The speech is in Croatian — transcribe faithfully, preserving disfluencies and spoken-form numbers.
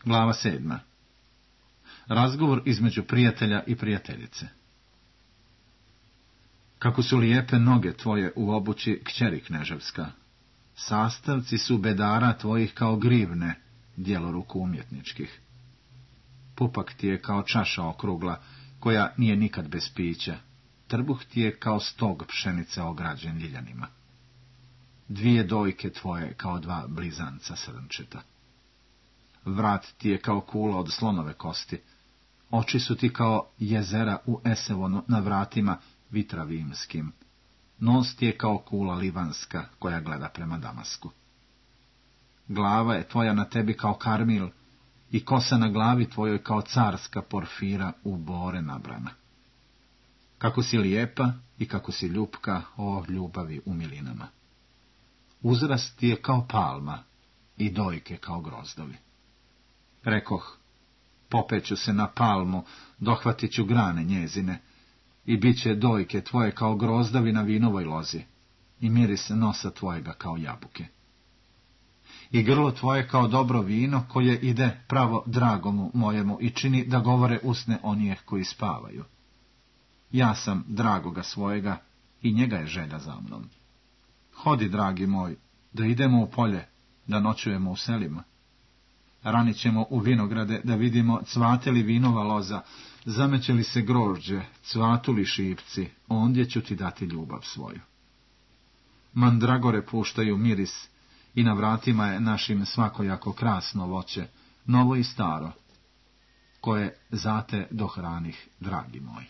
Glava sedma. Razgovor između prijatelja i prijateljice. Kako su lijepe noge tvoje u obući, kćeri kneževska. Sastavci su bedara tvojih kao grivne, djelo ruku umjetničkih. Pupak ti je kao čaša okrugla, koja nije nikad bez pića. Trbuh ti je kao stog pšenice ograđen ljiljanima. Dvije dojke tvoje kao dva blizanca srnčeta. Vrat ti je kao kula od slonove kosti. Oči su ti kao jezera u Esevonu na vratima vitravimskim. Nos ti je kao kula livanska koja gleda prema Damasku. Glava je tvoja na tebi kao karmil i kosa na glavi tvojoj kao carska porfira u bore nabrana. Kako si lijepa i kako si ljupka, o ljubavi u milinama. Uzrast ti je kao palma i dojke kao grozdovi. Rekoh, popeću se na palmu, dohvatit ću grane njezine, i bit će dojke tvoje kao grozdovi na vinovoj lozi, i miris nosa tvojega kao jabuke. I grlo tvoje kao dobro vino, koje ide pravo dragomu mojemu i čini da govore usne onijeh koji spavaju. Ja sam dragoga svojega i njega je želja za mnom. Hodi, dragi moj, da idemo u polje, da noćujemo u selima. Ranit ćemo u vinograde da vidimo cvate li vinova loza, zameće li se grožđe, cvatu li šipci, ondje ću ti dati ljubav svoju. Mandragore puštaju miris i na vratima je našim svakojako krasno voće, novo i staro, koje zate dohranih, dragi moj.